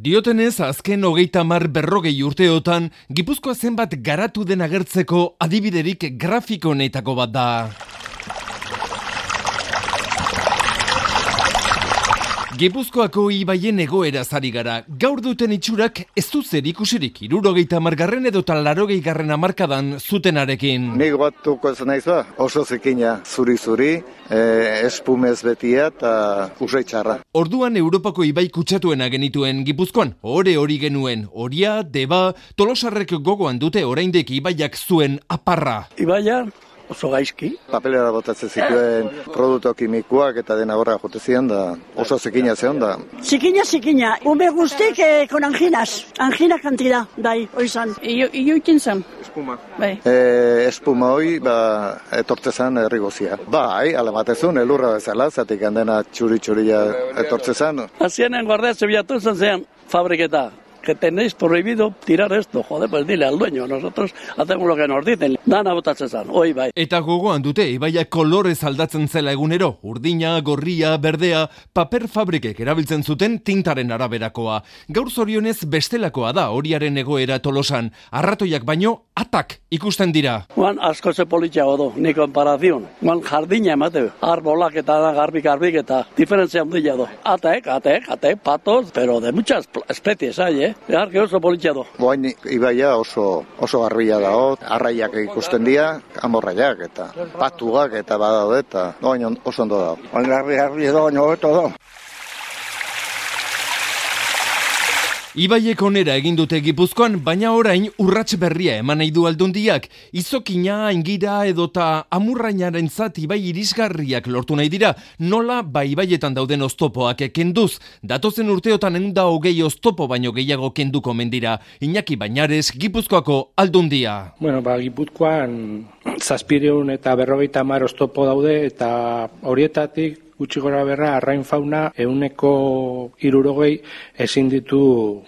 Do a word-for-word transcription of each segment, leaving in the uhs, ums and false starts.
Diotenez, azken hogeita hamar berrogei urteotan, Gipuzkoa zenbat garatu den agertzeko adibiderik grafikoenetako bat da. Gipuzkoako ibaien egoera zari gara. Gaur duten itxurak ez du zer ikusirik hirurogeita hamargarren edo larogei garren hamarkadan zutenarekin. Nik batuko ez naiz ba, oso zikina, zuri-zuri, eh, espumez betia eta usaitxarra. Orduan Europako ibai kutsatuena genituen Gipuzkoan, ore hori genuen, Oria, Deba, Tolosarrek gogoan dute oraindik ibaiak zuen aparra. Ibaia oso gaizki. Papelera botatzen zituen produktu kimikoak eta dena horra jote zian da oso zikina zeon da. Zikina, zikina. Ume guztik eh, con anginas. Angina kantida, dai, oizan. Iyo ikin zen. Espuma. Bai. E, espuma hoi, ba, etortze zen errigozia. Bai, ala batezun, elurra bezala, zatik handena txuri-txuria etortze zen. Azienen guardia zebiatu zen zean fabriketa. Que tenéis prohibido tirar esto, joder, pues dile al dueño, nosotros hacemos lo que nos dicen. Dana botatzen zan, oi bai. Eta gogoan dute, ibaiak kolorez aldatzen zela egunero, urdina, gorria, berdea, paper fabrikek erabiltzen zuten tintaren araberakoa. Gaur zorionez bestelakoa da horiaren egoera Tolosan, arratoiak baino atak ikusten dira. Juan asko ze politxago du, ni komparazion. Juan jardina emate, arbolak eta garbik-garbik eta diferentzia handia du. Atek, atek, atek, patos, pero de muchas especies hay, eh? Eharke oso politxea du. Boain ibaia oso, oso garbila dago, arraiak ikusten dira, amorraiak eta patugak eta badaude eta boain oso ondo dago. Boain garbi-garbi edo, baina hobeto dago. Ibaiek onera egin dute Gipuzkoan, baina orain urrats berria eman nahi du Aldundiak. Izokina, aingira edota amurrainarentzat ibai irisgarriak lortu nahi dira, nola ba ibaietan dauden oztopoak kenduz. Datozen urteotan ehun eta hogei oztopo baino gehiago kenduko mendira. Iñaki Bañares, Gipuzkoako Aldundia. Bueno, ba, Gipuzkoan zazpiehun eta berrogeita hamar oztopo daude eta horietatik gutxi gora berra, arrain fauna ehuneko hirurogei ezin ditu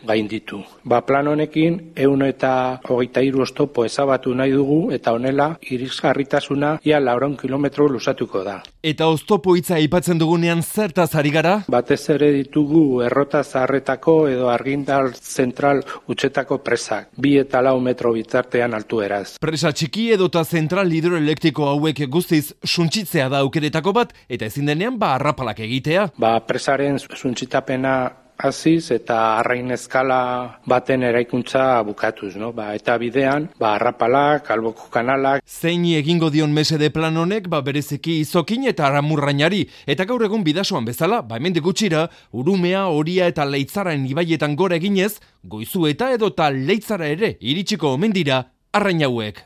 gainditu. Ba, plan honekin ehun eta hogeita hiru oztopo ezabatu nahi dugu eta honela irisgarritasuna ia laurehun kilometro luzatuko da. Eta oztopo hitza aipatzen dugunean zertaz ari gara? Batez ere ditugu errota zaharretako edo argindar zentral utxetako presak, bi eta lau metro bitartean altueraz. Presa txiki edota zentral hidroelektriko hauek guztiz suntsitzea da aukeretako bat, eta ezin denean ba arrapalak egitea. Ba, presaren suntsitapena hasiz eta arrain eskala baten eraikuntza bukatuz, no? Ba, eta bidean, ba, arrapalak, alboko kanalak. Zein egingo dion mesede plan honek, ba, bereziki izokin eta aramurrainari. Eta gaur egun bidasoan bezala, ba, hemendik gutxira, Urumea, Oria eta Leitzaraen ibaietan gora eginez, Goizueta edota Leitzara ere iritsiko omen dira arrain hauek.